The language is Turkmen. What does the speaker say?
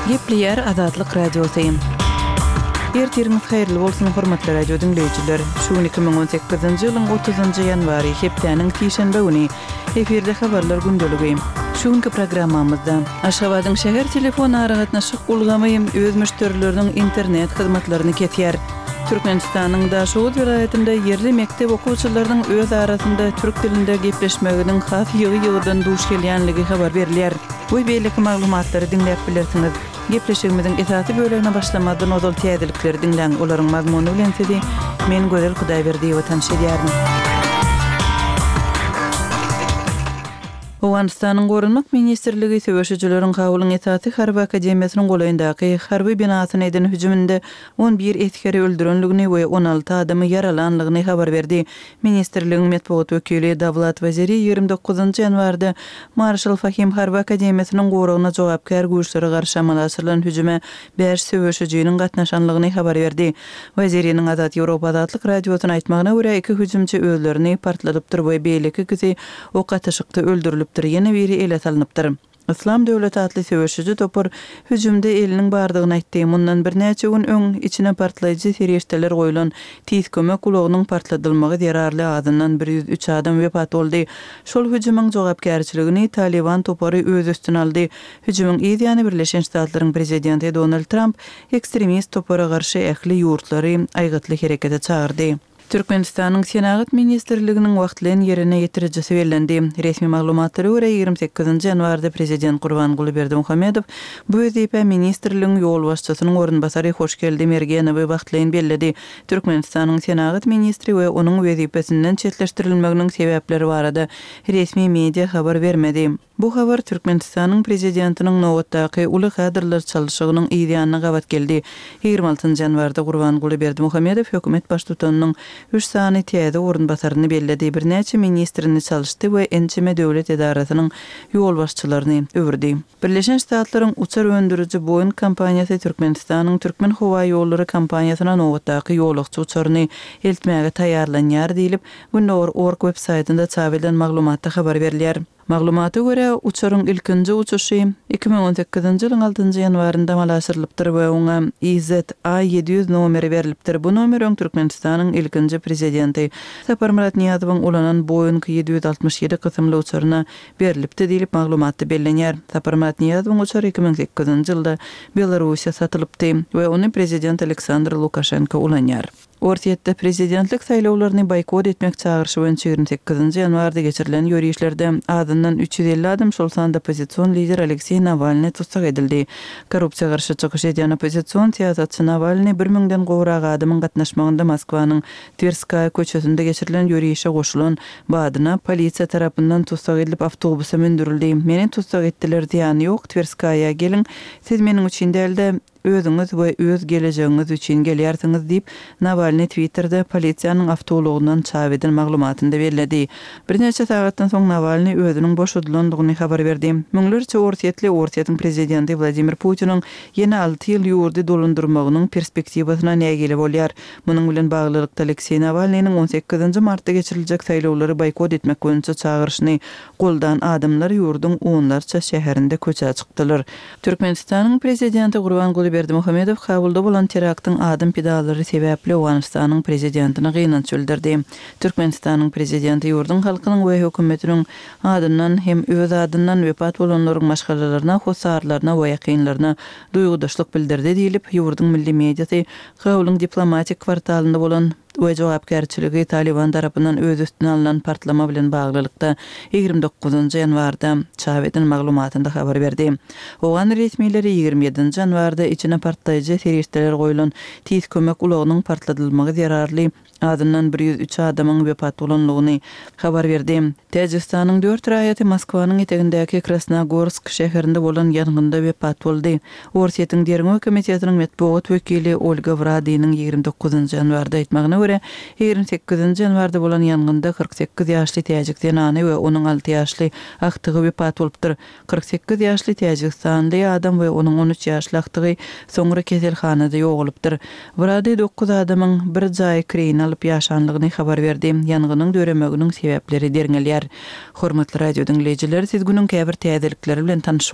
Gepleýär Azatlyk Radiosy. Ertiriňiz haýyrly bolsun, hormatly radio diňleýjiler! Şu gün 2018-nji ýylyň 30-njy ýanwary, hepdäniň sişenbe güni. Efirde habarlar gündeligi. Şu günki programmamyzda, Aşgabadyň şäher telefon aragatnaşyk ulgamy öz müşderileriniň internet hyzmatlaryny kesýär. Türkmenistanyň Daşoguz welaýatynda ýerli mekdep okuwçylarynyň öz arasynda türk dilinde gepleşmeginiň has ýygy-ýygydan duş gelýänligi habar berilýär. We beýleki maglumatlary diňläp bilersiňiz. Gepleşigimiziň esasy bölegine başlamazdan ozal täzelikleri diňläň, olaryň mazmuny bilen sizi men Gözel Hudaýberdiýewa tanyş edýärin. Owganystanyň Goranmak ministrligi söweşijileriň Kabulyň esasy harby akademiýasynyň golaýyndaky harby binasyna eden hüjüminde 11 esgeri öldürenligini we 16 adamy ýaralanlygyny habar berdi. Ministrligiň metbugat wekili Dawlat Waziri 29 ýanwarda Marşal Fahim harby akademiýasynyň goragyna jogapkär güýçlere garşy amala aşyrylan hüjüme bäş söweşijiniň gatnaşanlygyny habar berdi. Waziriniň Azat Ýewropa Azatlyk Radiosyna aýtmagyna görä, iki hüjümçi özlerini partladypdyr we beýleki ikisi ok atyşykda öldürilipdir, ýene biri ele salnypdyr. Yslam döwleti atly söweşiji topar hüjümde eliniň bardygyny aýtdy. Mundan birnäçe gün öň, içine partlaýjy serişdeler goýlan Tiz kömek ulagynyň partladylmagy zerarly azyndan 103 adam wepat boldy. Şol hüjümiň jogapkärçiligini Talyban topary öz üstüne aldy. Hüjümiň yz ýany Birleşen Ştatlaryň prezidenti Donald Tramp ekstremist topara garşy ähli ýurtlary aýgytly herekete çagyrdy. Türkmenistanyň Senagat ministrliginiň wagtlaýyn ýerine ýetirijisi bellendi. Resmi maglumatlara görä, 28 ýanwarda prezident Gurbanguly Berdimuhamedow bu wezipä ministrligiň ýolbaşçysynyň orunbasary Hoşgeldi Mergenowy wagtlaýyn belledi. Türkmenistanyň senagat ministri we onuň wezipesinden çetleşdirilmeginiň sebäpleri barada resmi media habar bermedi. Bu habar Türkmenistanyň Prezidentiniň nobatdaky uly kadrlar çalşygynyň yz ýanyna gabat geldi. 26 ýanwarda Gurbanguly Berdimuhamedow hökümet baştutanynyň üç sany täze orunbasaryny belledi, birnäçe ministrini çalyşdy we ençeme döwlet edarasynyň ýolbaşçylaryny öwürdi. Birleşen Ştatlaryň uçar öndüriji Boeing kompaniýasy Türkmenistanyň Türkmenhowaýollary kompaniýasyna nobatdaky ýolagçy uçaryny eltmäge taýýarlanýar diýlip, Gündogar org websaýtynda çap edilen maglumatda habar berilýär. Maglumata görä, uçaryň ilkinji uçuşy 2018-nji ýylyň altynjy ýanwarynda amala aşyrylypdyr we oňa IZA 700 nomeri berlipdir. Bu nomer öň Türkmenistanyň ilkinji Prezidenti Saparmyrat Nyýazowyň ulanan Boeing 767 kysymly uçaryna berlipdi diýlip, maglumatda bellenýär. Saparmyrat Nyýazowyň uçary 2008-nji ýylda Belarussiýa satylypdy we ony Prezident Aleksandr Lukaşenko ulanýar. Orsýetde prezidentlik saýlawlaryny boýkot etmek çagyryşy boýunça 28-nji ýanwarda geçirilen ýörişlerde azyndan 350 adam, şol sanda oppozision lider Alekseý Nawalnyý tussag edildi. Korrupsiýa garşy çykyş edýän oppozision syýasatçy Nawalnyý bir müňden gowrak adamyň gatnaşmagynda Moskwanyň Twerskaýa köçesinde geçirilen ýörişe goşulan badyna polisiýa tarapyndan tussag edilip awtobusa mündürildi. Meni tussag etdiler, zyýany ýok, Twerskaýa geliň, siz meniň üçin däl-de, Özüňiz we öz gelejegiňiz üçin gelýärsiňiz diýip, Nawalnyý Twitterde polisiýanyň awtoulagyndan çap eden maglumatynda belledi. Birnäçe sagatdan soň Nawalnyý özüniň boşadylandygyny habar berdi. Müňlerçe orsýetli Orsýetiň prezidenti Wladimir Putiniň ýene alty ýyl ýurdy dolandyrmagynyň perspektiwasyna nägile bolýar. Munuň bilen baglylykda, Alekseý Nawalnynyň on sekizinji martda geçiriljek saýlawlary boýkot etmek boýunça çagyryşyny goldan adamlar ýurduň onlarça şäherinde köçä çykdylar. Türkmenistanyň Prezidenti Gurbanguly Berdimuhamedow Kabulda bolan teraktyň adam pidalary sebäpli Owganystanyň Prezidentine gynanç bildirdi. Türkmenistanyň Prezidenti ýurduň halkynyň we hökümetiniň adyndan hem öz adyndan wepat bolanlaryň maşgalalaryna, hossarlaryna we ýakynlaryna duýgudaşlyk bildirdi diýlip, ýurduň milli mediasy Kabulyň diplomatik kwartalynda bolan we jogapkärçiligi Talyban tarapyndan öz üstüne alnan partlama bilen baglylykda 29 ýanwarda çap eden maglumatynda habar berdi. Owgan resmileri 27 ýanwarda içine partlaýjy serişdeler goýlan tiz kömek ulagynyň partladylmagy zerarly azyndan 103 adamyň wepat bolandygyny habar berdi. Täjigistanyň dört raýaty Moskwanyň etegindäki Krasnogorsk şäherinde bolan ýangynda wepat boldy. Orsýetiň Derňew komitetiniň metbugat wekili Olga Wradynyň 29 ýanwarda aýtmagyna görä, 28 ýanwarda bolan ýangynda 48 ýaşly täjik zenany we onuň alty ýaşly agtygy wepat bolupdyr. 48 ýaşly täjigistanly adam we onuň 13 ýaşly agtygy soňra keselhanada ýogalypdyr. Wrady dokuz adamyň bir jaýy kireýine alyp ýaşanlygyny habar berdi. Ýangynyň döremeginiň sebäpleri derňelýär. Hormatly radio diňleýjiler, siz günüň käbir täzelikleri bilen tanyş.